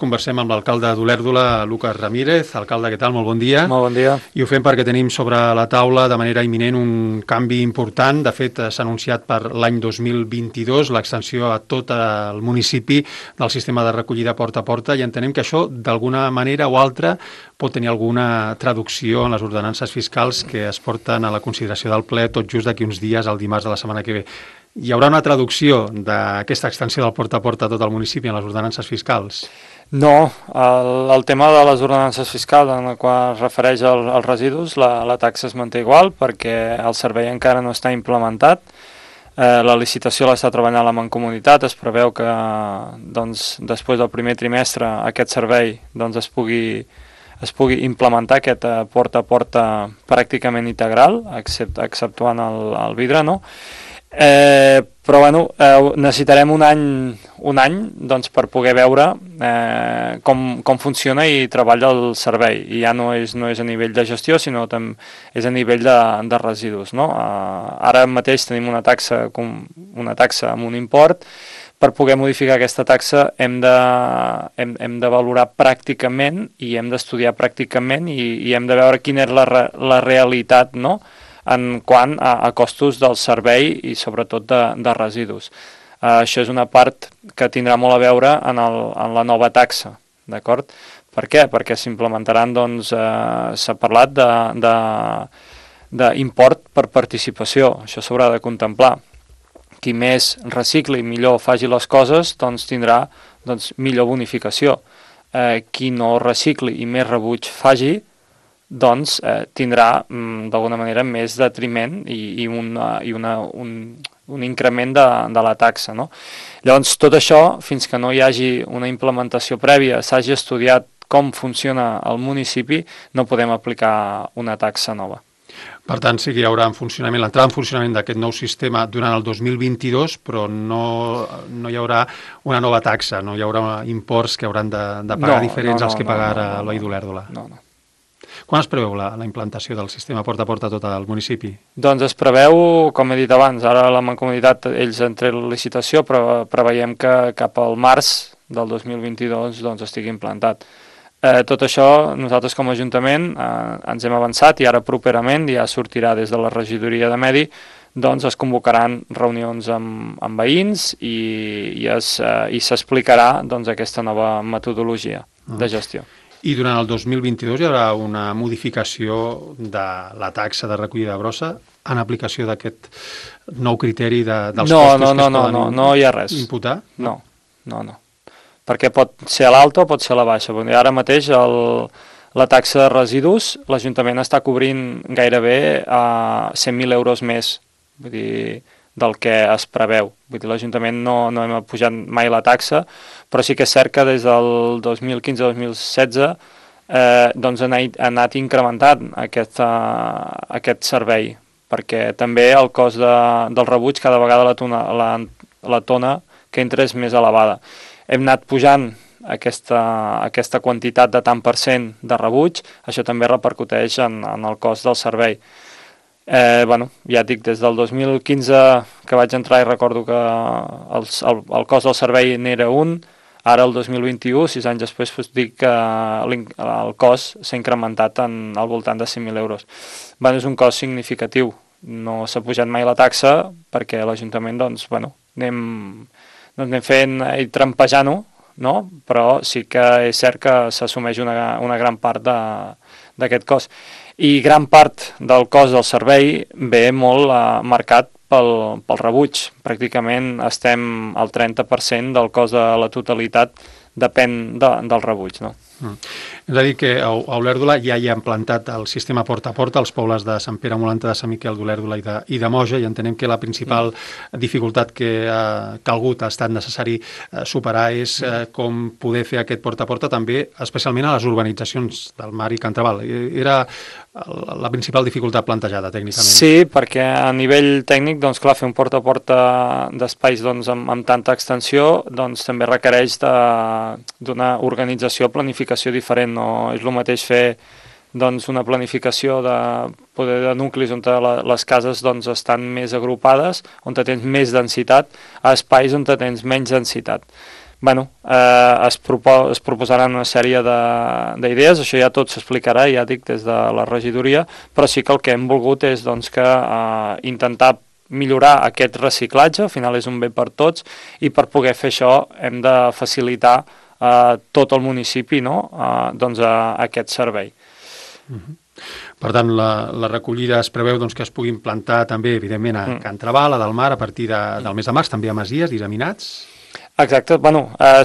conversem amb l'alcalde d'Olèrdola, Lucas Ramírez. Alcalde, què tal? Molt bon dia. Molt bon dia. I ho fem perquè tenim sobre la taula de manera imminent un canvi important. De fet, s'ha anunciat per l'any 2022 l'extensió a tot el municipi del sistema de recollida porta a porta i entenem que això, d'alguna manera o altra, pot tenir alguna traducció en les ordenances fiscals que es porten a la consideració del ple tot just d'aquí uns dies, el dimarts de la setmana que ve. Hi haurà una traducció d'aquesta extensió del porta a porta a tot el municipi en les ordenances fiscals? No, el tema de les ordenances fiscals en la qual es refereix als residus, la taxa es manté igual perquè el servei encara no està implementat. La licitació l'està treballant la Mancomunitat, es preveu que després del primer trimestre aquest servei es pugui implementar aquest porta a porta pràcticament integral, exceptuant el vidre, no? Però necessitarem un any per poder veure com funciona i treballa el servei, i ja no és a nivell de gestió, sinó també és a nivell de residus, no? Ara mateix tenim una taxa amb un import. Per poder modificar aquesta taxa hem de valorar pràcticament i hem d'estudiar pràcticament i hem de veure quina és la realitat, no?, en quant a costos del servei i sobretot de residus. Això és una part que tindrà molt a veure en la nova taxa, d'acord? Per què? Perquè s'implementaran, s'ha parlat d'import per participació, això s'haurà de contemplar. Qui més recicli i millor faci les coses, tindrà millor bonificació. Qui no recicli i més rebuig faci, tindrà d'alguna manera més detriment i un increment de la taxa, no? Llavors, tot això, fins que no hi hagi una implementació prèvia, s'hagi estudiat com funciona el municipi, no podem aplicar una taxa nova. Per tant, sí que hi haurà l'entrada en funcionament d'aquest nou sistema durant el 2022, però no hi haurà una nova taxa, no hi haurà imports que hauran de pagar diferents als que pagar a l'Oll d'Olèrdola. No. Quan es preveu la implantació del sistema porta a porta a tot el municipi? Doncs es preveu, com he dit abans, ara la Mancomunitat, ells han tret la licitació, però preveiem que cap al març del 2022 estigui implantat. Tot això, nosaltres com a Ajuntament ens hem avançat i ara properament ja sortirà des de la regidoria de Medi, es convocaran reunions amb veïns i s'explicarà aquesta nova metodologia de gestió. I durant el 2022 hi haurà una modificació de la taxa de recollida de brossa en aplicació d'aquest nou criteri dels costos que es poden no hi ha res. Imputar? No. Perquè pot ser a l'alta o pot ser a la baixa. Ara mateix la taxa de residus l'Ajuntament està cobrint gairebé a 100.000 euros més, vull dir, del que es preveu. Vull dir, l'Ajuntament no hem pujat mai la taxa, però sí que és cert que des del 2015-2016 ha anat incrementant aquest servei, perquè també el cost del rebuig cada vegada la tona que entra és més elevada. Hem anat pujant aquesta quantitat de tant per cent de rebuig, això també repercuteix en el cost del servei. Ja et dic, des del 2015 que vaig entrar i recordo que el cost del servei n'era un, ara el 2021, 6 anys després, dic que el cost s'ha incrementat al voltant de 100.000 euros. És un cost significatiu, no s'ha pujat mai la taxa perquè l'Ajuntament anem fent i trampejant-ho, no? Però sí que és cert que s'assumeix una gran part d'aquest cost. I gran part del cost del servei ve molt marcat pel rebuig. Pràcticament estem al 30% del cost de la totalitat depèn del rebuig, no? És a dir que a Olèrdola ja hi ha implantat el sistema porta a porta als pobles de Sant Pere Molanta, de Sant Miquel d'Olèrdola i de Moja, i entenem que la principal dificultat que ha calgut, ha estat necessari superar és com poder fer aquest porta a porta també, especialment a les urbanitzacions del Mar i Can Traval. Era la principal dificultat plantejada tècnicament. Sí, perquè a nivell tècnic, clar, fer un porta a porta d'espais amb tanta extensió també requereix d'una organització, planificació diferent. No és el mateix fer una planificació de nuclis on les cases estan més agrupades, on tens més densitat, a espais on tens menys densitat. es proposaran una sèrie d'idees, això ja tot s'explicarà, ja dic, des de la regidoria, però sí que el que hem volgut és doncs, que intentar millorar aquest reciclatge, al final és un bé per tots, i per poder fer això hem de facilitar tot el municipi, no? Doncs a aquest servei. Per tant, la recollida es preveu doncs, que es puguin plantar també, evidentment, a Can Trabal, a Delmar, a partir del mes de març, també a Masies, disseminats. Exacte,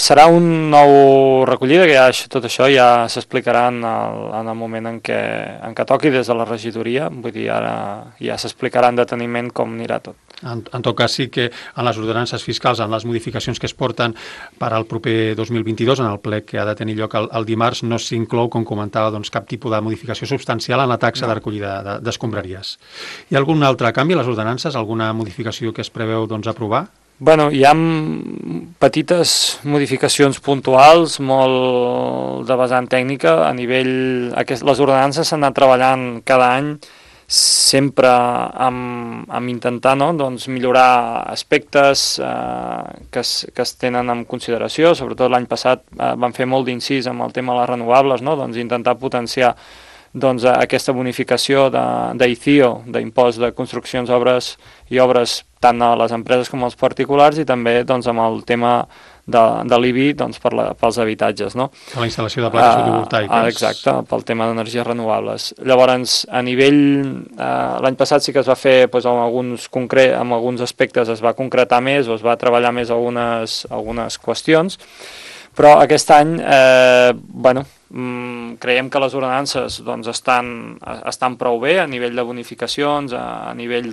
serà un nou recollida, que tot això ja s'explicarà en el moment en què toqui des de la regidoria, vull dir, ara ja s'explicarà en deteniment com anirà tot. En tot cas, sí que en les ordenances fiscals, en les modificacions que es porten per al proper 2022, en el ple que ha de tenir lloc el dimarts, no s'inclou, com comentava, doncs, cap tipus de modificació substancial en la taxa de recollida d'escombraries. Hi ha algun altre canvi a les ordenances, alguna modificació que es preveu aprovar? Hi ha petites modificacions puntuals, molt de vessant tècnica, a nivell... Les ordenances s'han anat treballant cada any, sempre amb intentar millorar aspectes que es tenen en consideració. Sobretot l'any passat van fer molt d'incís amb el tema de les renovables, intentar potenciar aquesta bonificació d'ICIO, d'impost de construccions, obres i obres tant a les empreses com als particulars, i també amb el tema de l'IBI pels habitatges. No? A la instal·lació de plaques fotovoltaiques. Exacte, pel tema d'energies renovables. Llavors, a nivell... l'any passat sí que es va fer amb alguns aspectes es va concretar més o es va treballar més algunes qüestions, però aquest any creiem que les ordenances estan prou bé a nivell de bonificacions, a nivell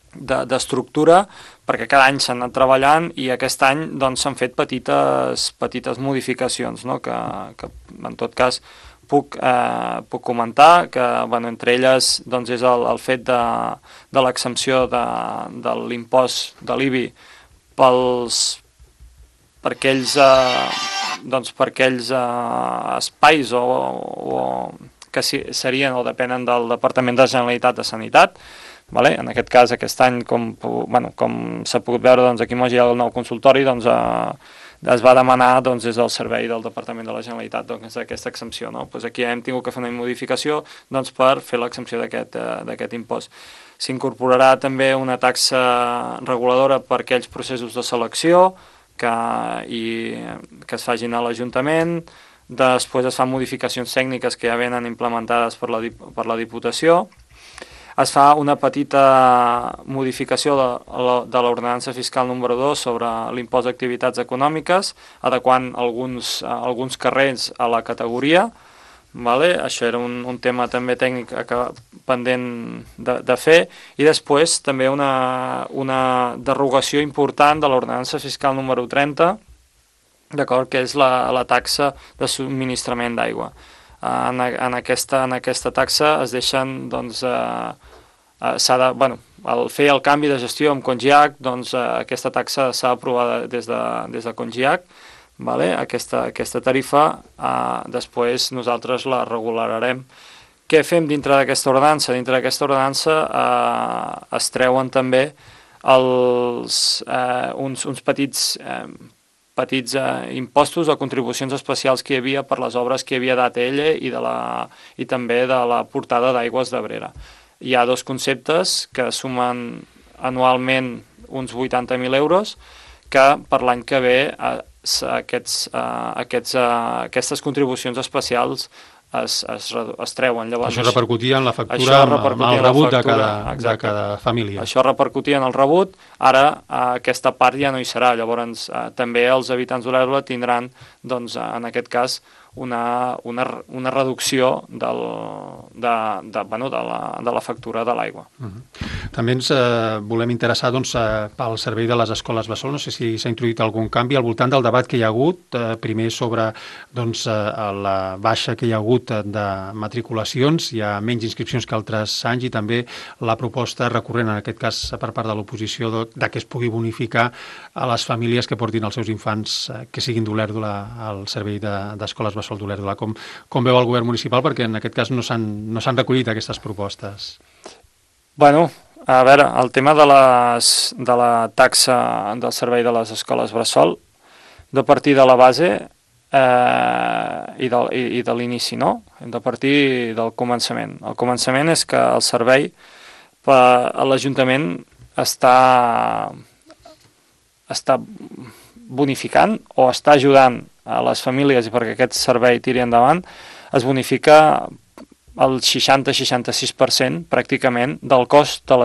d'estructura, perquè cada any s'han anat treballant i aquest any s'han fet petites modificacions, no? que en tot cas puc comentar, que entre elles és el fet de l'exempció de l'impost de l'IBI per aquells espais que serien o depenen del Departament de la Generalitat de Sanitat. En aquest cas, aquest any, com s'ha pogut veure, aquí a Moix hi ha el nou consultori, es va demanar des del servei del Departament de la Generalitat aquesta exempció. Aquí hem tingut que fer una modificació per fer l'exempció d'aquest impost. S'incorporarà també una taxa reguladora per aquells processos de selecció que es facin a l'Ajuntament. Després es fan modificacions tècniques que ja venen implementades per la Diputació. Es fa una petita modificació de l'ordenança fiscal número 2 sobre l'impost d'activitats econòmiques, adequant alguns carrers a la categoria. Això era un tema també tècnic pendent de fer, i després també una derogació important de l'ordenança fiscal número 30, d'acord, que és la taxa de subministrament d'aigua. En aquesta taxa es deixen al fer el canvi de gestió amb Congiac, aquesta taxa s'ha aprovat des de Congiac. Aquesta tarifa després nosaltres la regularem. Què fem dintre d'aquesta ordenança? Dintre d'aquesta ordenança es treuen també uns petits impostos o contribucions especials que hi havia per les obres que hi havia d'ATL i també de la portada d'aigües d'Abrera. Hi ha dos conceptes que sumen anualment uns 80.000 euros, que per l'any que ve aquestes contribucions especials es treuen. Llavors, això repercutia en la factura, en el rebut de cada família. Això repercutia en el rebut, ara aquesta part ja no hi serà. Llavors també els habitants d'Olèrdola tindran, en aquest cas, una reducció de la factura de l'aigua. També ens volem interessar pel servei de les escoles bressol. No sé si s'ha introduït algun canvi al voltant del debat que hi ha hagut, primer sobre la baixa que hi ha hagut de matriculacions, hi ha menys inscripcions que altres anys, i també la proposta recurrent, en aquest cas per part de l'oposició, que es pugui bonificar a les famílies que portin els seus infants que siguin d'Olèrdola al servei d'escoles bressol d'Olèrdola. Com veu el govern municipal? Perquè en aquest cas no s'han recollit aquestes propostes. A veure, el tema de la taxa del servei de les escoles bressol de partir de la base i de l'inici, no? Hem de partir del començament. El començament és que el servei a l'Ajuntament està bonificant o està ajudant a les famílies i perquè aquest servei tiri endavant, es bonifica el 60-66% pràcticament del cost de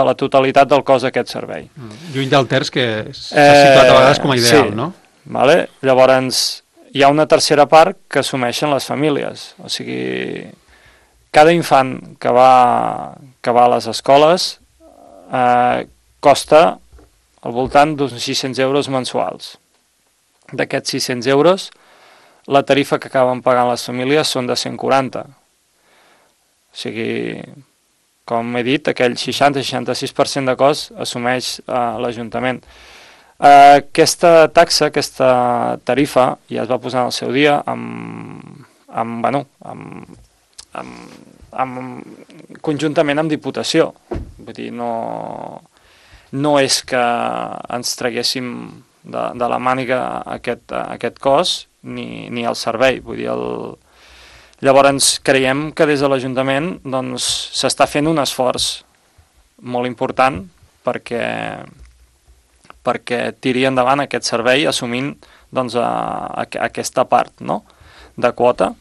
la totalitat del cost d'aquest servei. Lluny del terç que s'ha situat a vegades com a ideal, sí, no? Vale? Llavors, hi ha una tercera part que assumeixen les famílies. O sigui, cada infant que va a les escoles costa al voltant d'uns 600 euros mensuals. D'aquests 600 euros, la tarifa que acaben pagant les famílies són de 140. O sigui, com he dit, aquell 60-66% de cost assumeix l'Ajuntament. Aquesta taxa, aquesta tarifa, ja es va posar en el seu dia conjuntament amb Diputació. Vull dir, no és que ens traguéssim de la màniga aquest cost ni el servei. Vull dir, llavors creiem que des de l'Ajuntament doncs, s'està fent un esforç molt important perquè tiri endavant aquest servei assumint doncs, aquesta part, no?, de quota.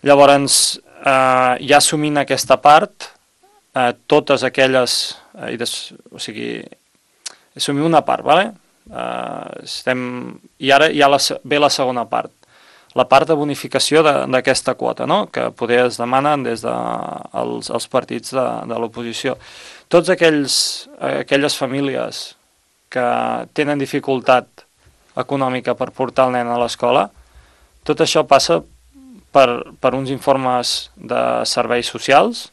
Llavors, ja assumint aquesta part, totes aquelles... o sigui, assumim una part, ¿vale? I ara ja ve la segona part, la part de bonificació d'aquesta quota, no?, que poder es demanen des dels partits de l'oposició. Tots aquelles famílies que tenen dificultat econòmica per portar el nen a l'escola, tot això passa per uns informes de serveis socials,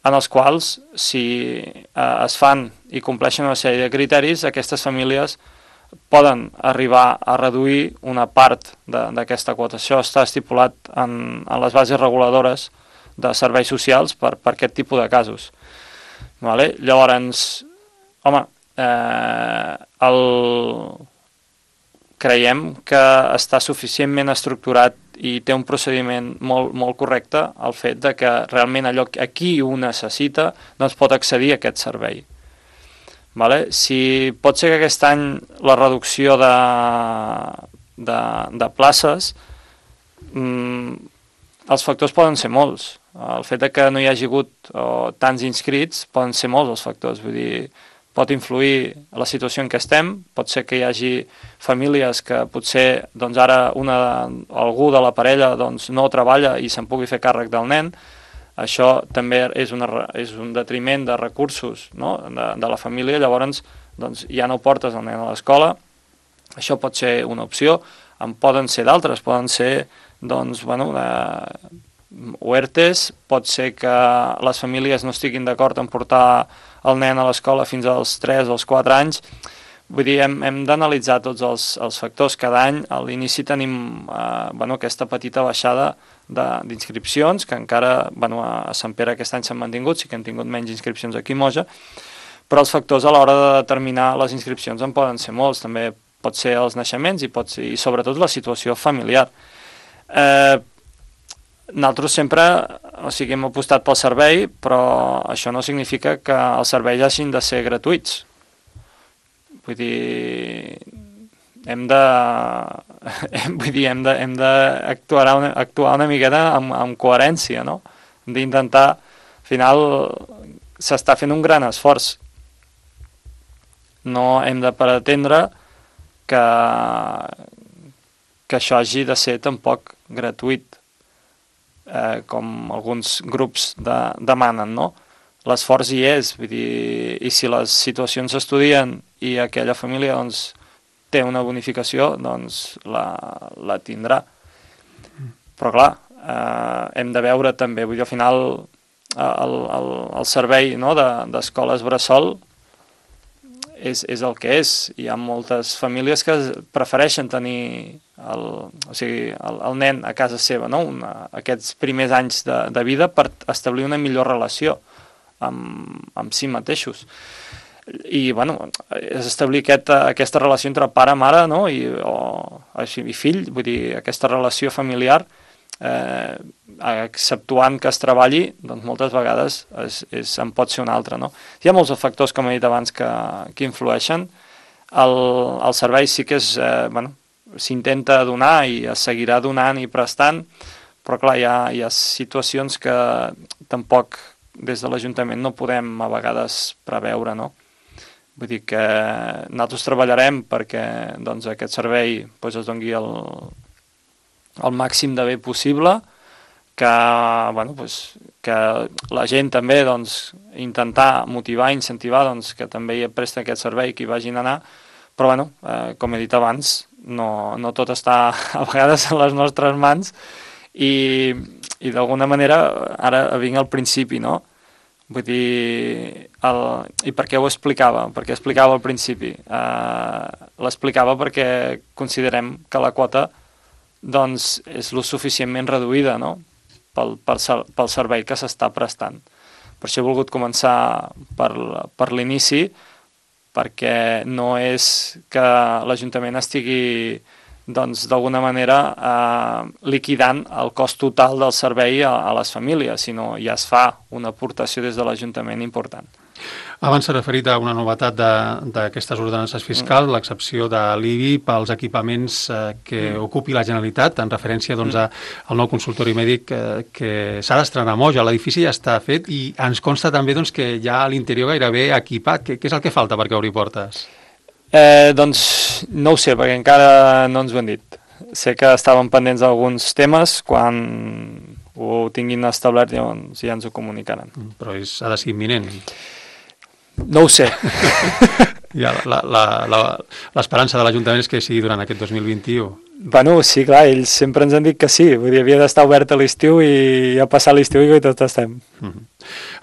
en els quals, si es fan i compleixen una sèrie de criteris, aquestes famílies poden arribar a reduir una part d'aquesta quota. Això està estipulat en les bases reguladores de serveis socials per aquest tipus de casos. Vale? Llavors, home, creiem que està suficientment estructurat i té un procediment molt, molt correcte el fet de que realment allò a qui ho necessita doncs pot accedir a aquest servei. Vale? Si pot ser que aquest any la reducció de places, els factors poden ser molts. El fet de que no hi hagi hagut tants inscrits poden ser molts els factors. Vull dir, pot influir la situació en què estem, pot ser que hi hagi famílies que potser doncs ara algú de la parella doncs, no treballa i se'n pugui fer càrrec del nen. Això també és un detriment de recursos, no?, de la família, llavors doncs, ja no portes el nen a l'escola. Això pot ser una opció, en poden ser d'altres, poden ser doncs, OERTEs, pot ser que les famílies no estiguin d'acord en portar el nen a l'escola fins als 3 o als 4 anys. Vull dir, hem d'analitzar tots els factors. Cada any a l'inici tenim aquesta petita baixada d'inscripcions, que encara a Sant Pere aquest any s'han mantingut, sí que han tingut menys inscripcions aquí a Moja, però els factors a l'hora de determinar les inscripcions en poden ser molts. També pot ser els naixements i sobretot la situació familiar. Nosaltres sempre hem apostat pel servei, però això no significa que els serveis hagin de ser gratuïts. Vull dir, hem d'actuar una miqueta amb coherència, no? Hem d'intentar, al final, s'està fent un gran esforç. No hem de pretendre que això hagi de ser tampoc gratuït, com alguns grups demanen, no? L'esforç hi és, vull dir, i si les situacions s'estudien i aquella família doncs, té una bonificació, doncs la tindrà. Però clar, hem de veure també, vull dir, al final el servei, no, d'escoles bressol és el que és. Hi ha moltes famílies que prefereixen tenir el nen a casa seva, no? Aquests primers anys de vida per establir una millor relació amb si mateixos. I, bueno, és establir aquesta relació entre pare, mare, no? I fill, vull dir, aquesta relació familiar, exceptuant que es treballi, doncs moltes vegades en pot ser una altra, no? Hi ha molts factors, com he dit abans, que influeixen. El servei sí que s'intenta donar i es seguirà donant i prestant, però clar, hi ha situacions que tampoc des de l'Ajuntament no podem a vegades preveure, no? Vull dir que nosaltres treballarem perquè doncs, aquest servei doncs, es doni el màxim de bé possible, que la gent també doncs, intentar motivar, incentivar doncs, que també hi presten aquest servei, que hi vagin a anar, però com he dit abans, no tot està a vegades en les nostres mans i d'alguna manera ara vinc al principi, no? Vull dir, i per què ho explicava? Per què explicava al principi? L'explicava perquè considerem que la quota doncs, és lo suficientment reduïda, no? pel servei que s'està prestant. Per això he volgut començar per l'inici, perquè no és que l'Ajuntament estigui doncs, d'alguna manera liquidant el cost total del servei a les famílies, sinó ja es fa una aportació des de l'Ajuntament important. Abans s'ha referit a una novetat d'aquestes ordenances fiscals, l'excepció de l'IBI pels equipaments que ocupi la Generalitat, en referència doncs, al nou consultori mèdic que s'ha d'estrenar a Moja. L'edifici ja està fet i ens consta també doncs, que ja a l'interior gairebé equipat. Què és el que falta perquè obri portes? Doncs no ho sé, perquè encara no ens ho han dit. Sé que estaven pendents d'alguns temes, quan ho tinguin establert llavors ja ens ho comunicaran. Però ha de ser imminent. No ho sé. Ja, l'esperança de l'Ajuntament és que sigui durant aquest 2021. Bueno, sí, clar, ells sempre ens han dit que sí. Vull dir, havia d'estar obert a l'estiu i ha passat l'estiu i tot estem.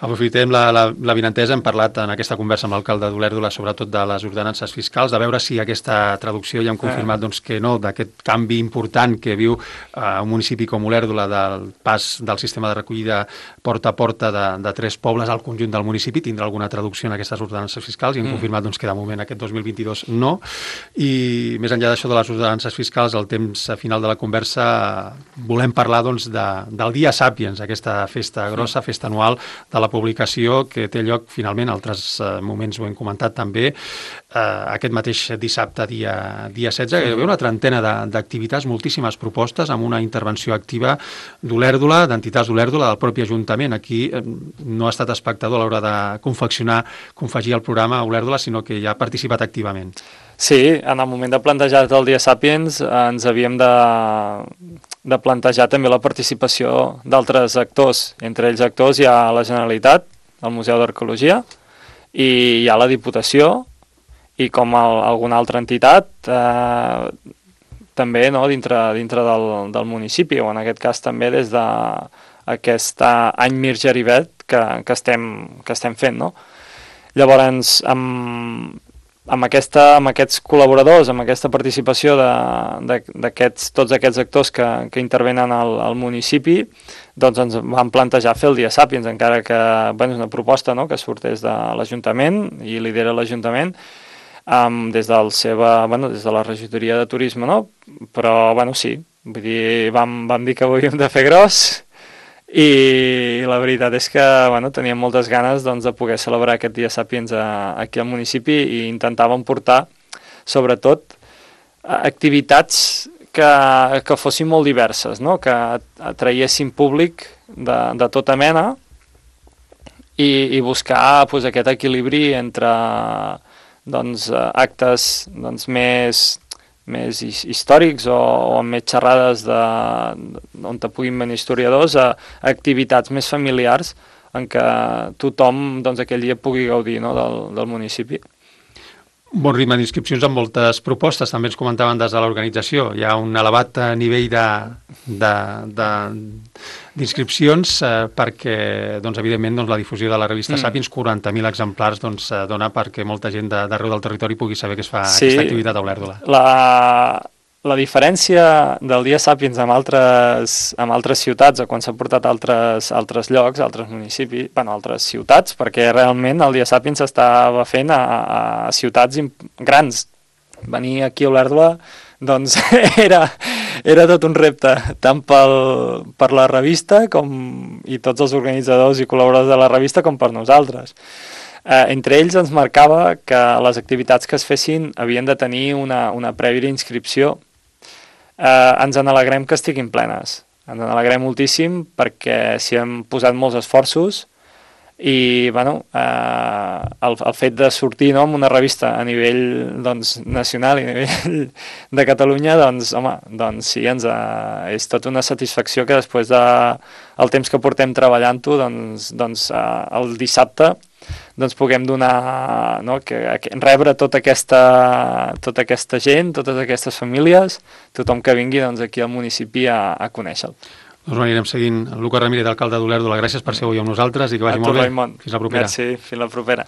Aprofitem la vinentesa, hem parlat en aquesta conversa amb l'alcalde d'Olèrdola sobretot de les ordenances fiscals, de veure si aquesta traducció ja hem confirmat doncs, que no, d'aquest canvi important que viu un municipi com Olèrdola del pas del sistema de recollida porta a porta de 3 pobles al conjunt del municipi, tindrà alguna traducció en aquestes ordenances fiscals i hem confirmat doncs, que de moment aquest 2022 no. I més enllà d'això de les ordenances fiscals, al temps final de la conversa volem parlar doncs, del Dia Sàpiens, aquesta festa grossa, festa anual de la publicació que té lloc finalment, altres moments ho hem comentat també, aquest mateix dissabte, dia 16, hi ha una trentena d'activitats, moltíssimes propostes, amb una intervenció activa d'Olèrdola, d'entitats d'Olèrdola, del propi Ajuntament. Aquí no ha estat espectador a l'hora de confegir el programa a Olèrdola, sinó que ja ha participat activament. Sí, en el moment de plantejar el Dia Sàpiens ens havíem de plantejar també la participació d'altres actors. Entre ells actors hi ha la Generalitat, el Museu d'Arqueologia, i hi ha la Diputació, i com alguna altra entitat també no, dintre del municipi, o en aquest cas també des d'aquest any Mir Gerivet que estem fent. No? Llavors, amb aquests col·laboradors, amb aquesta participació tots aquests actors que intervenen al municipi, doncs ens vam plantejar fer el Dia Sàpiens, encara que és una proposta no, que sorteix de l'Ajuntament i lidera l'Ajuntament, des de la regidoria de turisme, no? Però sí, vull dir, vam dir que ho havíem de fer gros i la veritat és que teníem moltes ganes doncs, de poder celebrar aquest Dia Sàpiens aquí al municipi i intentàvem portar sobretot activitats que fossin molt diverses, no? Que atraiessin públic de tota mena i buscar doncs, aquest equilibri entre doncs, actes doncs, més històrics o amb més xerrades on puguin venir historiadors a activitats més familiars en què tothom doncs, aquell dia pugui gaudir no, del municipi. Bon ritme d'inscripcions amb moltes propostes, també ens comentaven des de l'organització. Hi ha un elevat nivell d'inscripcions perquè, doncs, evidentment, doncs, la difusió de la revista Sàpiens, 40.000 exemplars, doncs, dona perquè molta gent d'arreu del territori pugui saber que es fa aquesta activitat a Olèrdola. la diferència del Dia Sàpiens amb altres ciutats o quan s'ha portat a altres llocs, altres municipis, altres ciutats, perquè realment el Dia Sàpiens s'estava fent a ciutats grans. Venir aquí a Olèrdola doncs era tot un repte, tant per la revista i tots els organitzadors i col·laboradors de la revista com per nosaltres. Entre ells ens marcava que les activitats que es fessin havien de tenir una prèvia inscripció. Ens n'alegrem que estiguin plenes. Ens n'alegrem moltíssim perquè s'hi hem posat molts esforços i el fet de sortir amb una revista a nivell nacional i a nivell de Catalunya, sí, és tota una satisfacció que després del temps que portem treballant-ho, el dissabte puguem donar, rebre tota aquesta gent, totes aquestes famílies, tothom que vingui aquí al municipi a conèixer-lo. Doncs anirem seguint. Lucas Ramírez, alcalde d'Olèrdola, gràcies per ser avui amb nosaltres i que vagi molt bé. Raimon. Fins la propera. Merci, fins la propera.